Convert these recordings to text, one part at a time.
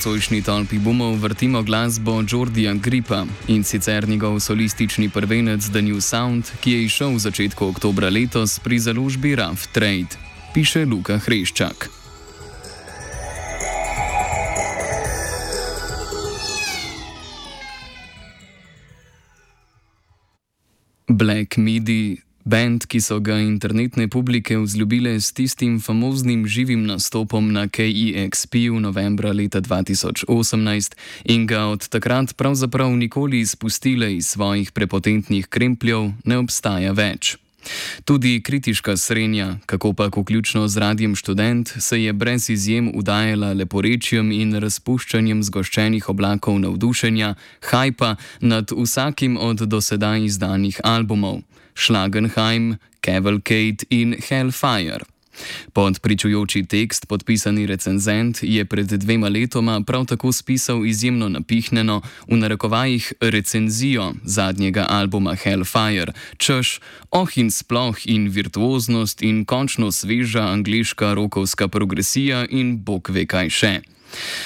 nocojšnji tolpi bumov vrtimo glasbo Jordija Gripa, in sicer njegov solistični prvenec The New Sound, ki je izšel v začetku oktobra letos pri založbi Rough Trade, piše Luka Hreščak. Black Midi, band, ki so ga internetne publike vzljubile s tistim famoznim živim nastopom na KEXP-u novembra leta 2018 in ga od takrat pravzaprav nikoli izpustile iz svojih prepotentnih krempljev, ne obstaja več. Tudi kritiška srenja, kakopak vključno z Radiem Študent, se je brez izjem udajala leporečjem in razpuščanjem zgoščenih oblakov navdušenja, hajpa nad vsakim od dosedaj izdanih albumov: Schlagenheim, Cavalcade in Hellfire. Pod pričujoči tekst podpisani recenzent je pred 2 letoma prav tako spisal izjemno napihnjeno, v narekovajih, recenzijo zadnjega albuma Hellfire, češ, in sploh in virtuoznost in končno sveža angleška rokovska progresija in bog ve kaj še.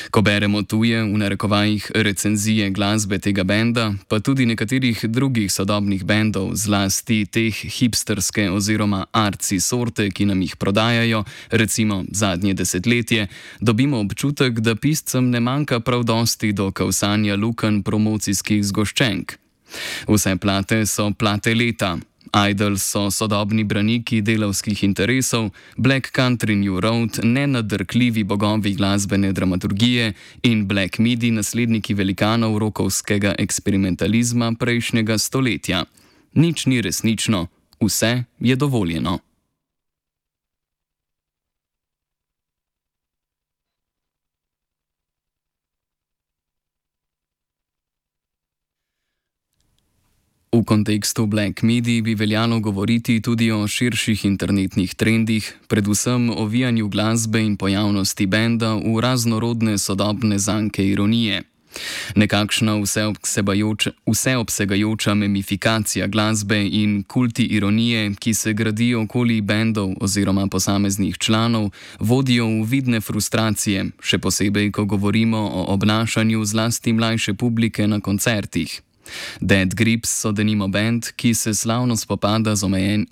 Ko beremo tuje, v narekovajih, recenzije glasbe tega benda, pa tudi nekaterih drugih sodobnih bendov, zlasti teh hipsterske oziroma artsy sorte, ki nam jih prodajajo, recimo zadnje desetletje, dobimo občutek, da piscem ne manjka prav dosti do kavsanja lukenj promocijskih zgoščenk. Vse plate so plate leta. Idols so sodobni braniki delavskih interesov, Black Country New Road nenadrkljivi bogovi glasbene dramaturgije in Black Midi nasledniki velikanov rokovskega eksperimentalizma prejšnjega stoletja. Nič ni resnično, vse je dovoljeno. V kontekstu Black Midi bi veljalo govoriti tudi o širših internetnih trendih, predvsem o vijanju glasbe in pojavnosti benda v raznorodne sodobne zanke ironije. Nekakšna vseobsegajoča memifikacija glasbe in kulti ironije, ki se gradijo okoli bendov oziroma posameznih članov, vodijo v vidne frustracije, še posebej, ko govorimo o obnašanju zlasti mlajše publike na koncertih. Dead Grips so denimo band, ki se slavno spopada z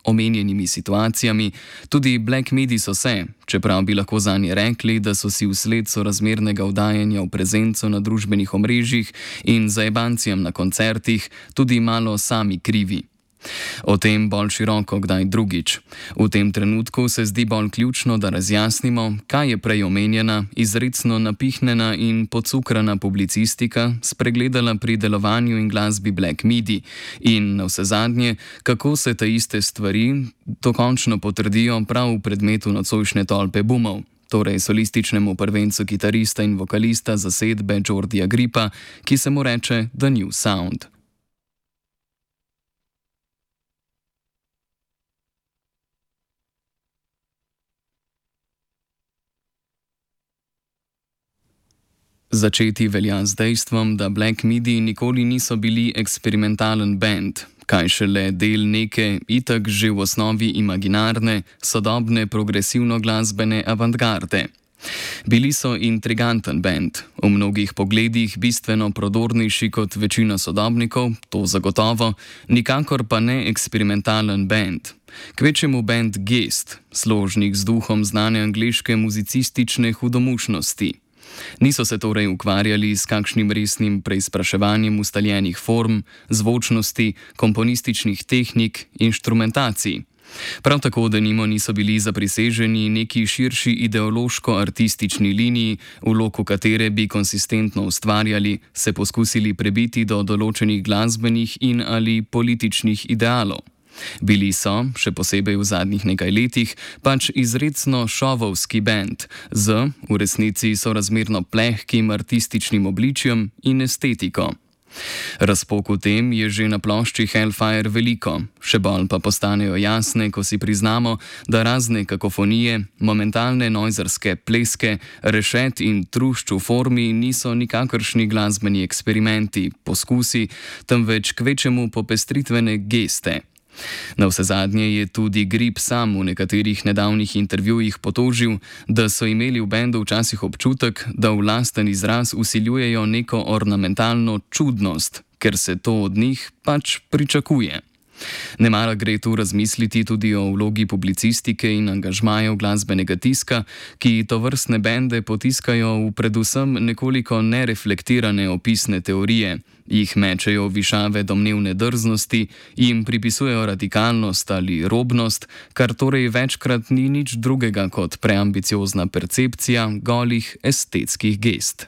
omenjenimi situacijami, tudi Black Midi so se, čeprav bi lahko zanje rekli, da so si vsled sorazmernega vdajanja v prezenco na družbenih omrežjih in zajebancijam na koncertih tudi malo sami krivi. O tem bolj široko kdaj drugič. V tem trenutku se zdi bolj ključno, da razjasnimo, kaj je prej omenjena, izrecno napihnjena in pocukrana publicistika spregledala pri delovanju in glasbi Black Midi in navsezadnje, kako se te iste stvari dokončno potrdijo prav v predmetu nocojšnje tolpe bumov, torej solističnemu prvencu kitarista in vokalista zasedbe Jordija Gripa, ki se mu reče The New Sound. Začeti velja z dejstvom, da Black Midi nikoli niso bili eksperimentalen band, kaj šele del neke, itak že v osnovi imaginarne, sodobne progresivno-glasbene avantgarde. Bili so intriganten band, v mnogih pogledih bistveno prodornejši kot večina sodobnikov, to zagotovo, nikakor pa ne eksperimentalen band. Kvečjemu band gest, složnik z duhom znane angleške muzicistične hudomušnosti. Niso se torej ukvarjali s kakšnim resnim preizpraševanjem ustaljenih form, zvočnosti, komponističnih tehnik, inštrumentacij. Prav tako denimo niso bili zapriseženi neki širši ideološko-artistični liniji, v loku katere bi konsistentno ustvarjali, se poskusili prebiti do določenih glasbenih in ali političnih idealov. Bili so, še posebej v zadnjih nekaj letih, pač izrecno šovovski band z, v resnici sorazmerno plehkim artističnim obličjem in estetiko. Razpok v tem je že na plošči Hellfire veliko, še bolj pa postanejo jasne, ko si priznamo, da razne kakofonije, momentalne nojzerske pleske, rešet in trušč v formi niso nikakršni glasbeni eksperimenti, poskusi, temveč kvečemu popestritvene geste. Navsezadnje je tudi Grip sam v nekaterih nedavnih intervjujih potožil, da so imeli v bendu včasih občutek, da v lasten izraz vsiljujejo neko ornamentalno čudnost, ker se to od njih pač pričakuje. Nemara gre tu razmisliti tudi o vlogi publicistike in angažmajev glasbenega tiska, ki tovrstne bende potiskajo v predvsem nekoliko nereflektirane opisne teorije, jih mečejo v višave domnevne drznosti, jim pripisujejo radikalnost ali robnost, kar torej večkrat ni nič drugega kot preambiciozna percepcija golih estetskih gest.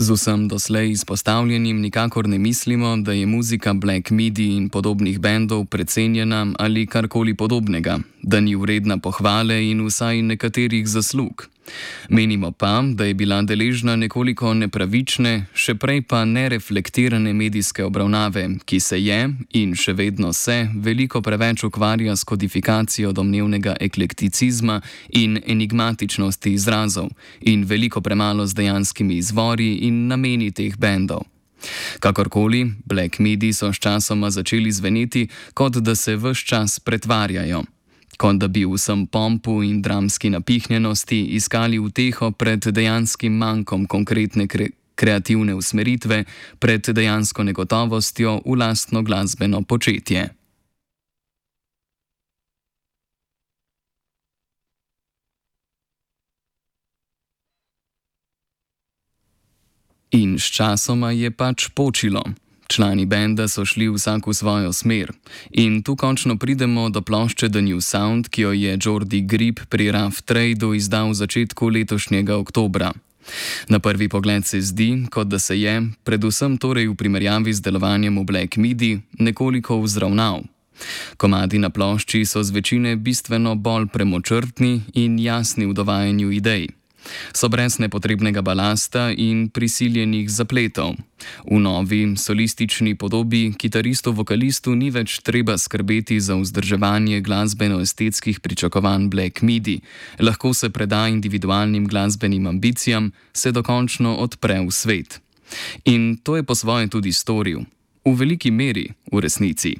Z vsem doslej izpostavljenim nikakor ne mislimo, da je muzika Black Midi in podobnih bendov precenjena ali karkoli podobnega, da ni vredna pohvale in vsaj nekaterih zaslug. Menimo pa, da je bila deležna nekoliko nepravične, še prej pa nereflektirane medijske obravnave, ki se je in še vedno se veliko preveč ukvarja s kodifikacijo domnevnega eklekticizma in enigmatičnosti izrazov in veliko premalo z dejanskimi izvori in nameni teh bendov. Kakorkoli, Black Midi so sčasoma začeli zveneti, kot da se ves čas pretvarjajo. Kot da bi v vsem pompu in dramski napihnjenosti iskali uteho pred dejanskim mankom konkretne kreativne usmeritve, pred dejansko negotovostjo v lastno glasbeno početje. In sčasoma je pač počilo. Člani benda so šli vsak v svojo smer. In tu končno pridemo do plošče The New Sound, ki jo je Jordi Grip pri Rough Trade izdal v začetku letošnjega oktobra. Na prvi pogled se zdi, kot da se je, predvsem torej v primerjavi z delovanjem v Black Midi, nekoliko vzravnal. Komadi na plošči so z večine bistveno bolj premočrtni in jasni v dovajanju idej. So brez nepotrebnega balasta in prisiljenih zapletov. V novi solistični podobi kitaristu-vokalistu ni več treba skrbeti za vzdrževanje glasbeno-estetskih pričakovanj Black Midi, lahko se preda individualnim glasbenim ambicijam, se dokončno odpre v svet. In to je po svoje tudi storil. V veliki meri, v resnici.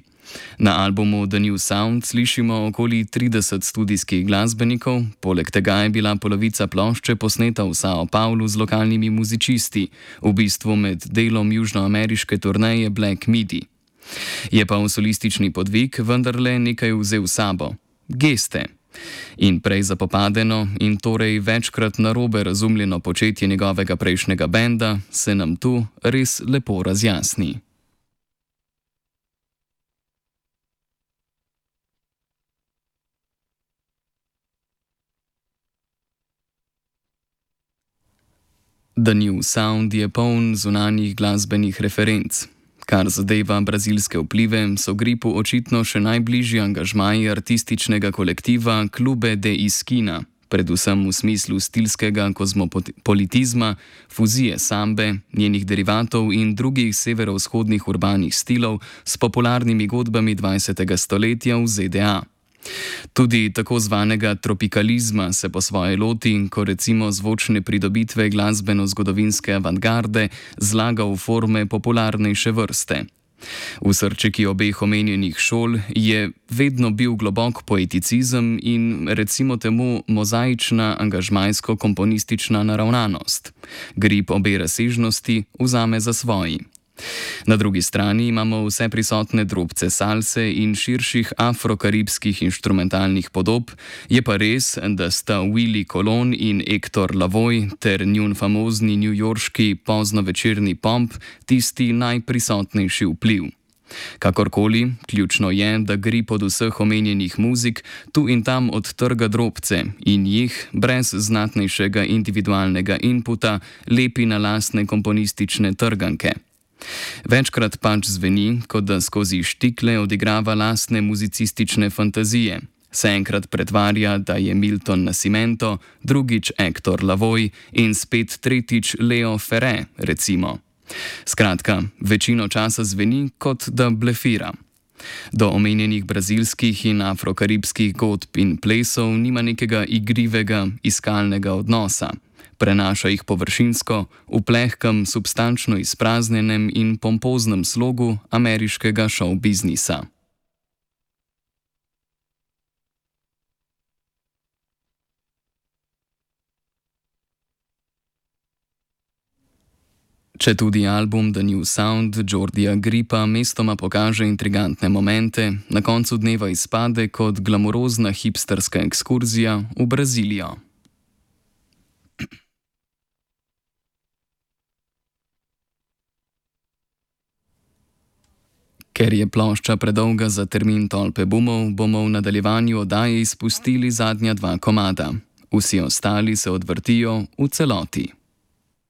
Na albumu The New Sound slišimo okoli 30 studijskih glasbenikov, poleg tega je bila polovica plošče posneta v Sao Paulu z lokalnimi muzičisti, v bistvu med delom južnoameriške turneje Black Midi. Je pa v solistični podvig vendarle nekaj vzel sabo – geste. In prej zapopadeno in torej večkrat narobe razumljeno početje njegovega prejšnjega benda se nam tu res lepo razjasni. The New Sound je poln zunanjih glasbenih referenc. Kar zadeva brazilske vplive, so Gripu očitno še najbližji angažmaji artističnega kolektiva Clube de Esquina, predvsem v smislu stilskega kozmopolitizma, fuzije sambe, njenih derivatov in drugih severovzhodnih urbanih stilov s popularnimi godbami 20. stoletja v ZDA. Tudi tako zvanega tropikalizma se po svoje loti, ko recimo zvočne pridobitve glasbeno-zgodovinske avantgarde zlaga v forme popularnejše vrste. V srčiki obeh omenjenih šol je vedno bil globok poeticizem in recimo temu mozaična angažmajsko-komponistična naravnanost. Grip obe razsežnosti vzame za svoji. Na drugi strani imamo vse prisotne drobce salse in širših afrokaribskih inštrumentalnih podob, je pa res, da sta Willie Colon in Hector Lavoe ter njun famozni newyorški poznovečerni pomp tisti najprisotnejši vpliv. Kakorkoli, ključno je, da Grip od vseh omenjenih muzik tu in tam odtrga drobce in jih, brez znatnejšega individualnega inputa, lepi na lastne komponistične trganke. Večkrat pač zveni, kot da skozi štikle odigrava lastne muzicistične fantazije. Se enkrat pretvarja, da je Milton Nascimento, drugič Hector Lavoe in spet tretjič Leo Ferré, recimo. Skratka, večino časa zveni, kot da blefira. Do omenjenih brazilskih in afrokaribskih godb in plesov nima nekega igrivega, iskalnega odnosa. Prenaša jih površinsko, v plehkem, substančno izpraznjenem in pompoznem slogu ameriškega šov-biznisa. Če tudi album The New Sound Jordija Gripa mestoma pokaže intrigantne momente, na koncu dneva izpade kot glamurozna hipsterska ekskurzija v Brazilijo. Ker je plošča predolga za termin tolpe bumov, bomo v nadaljevanju oddaje izpustili zadnja dva komada. Vsi ostali se odvrtijo v celoti.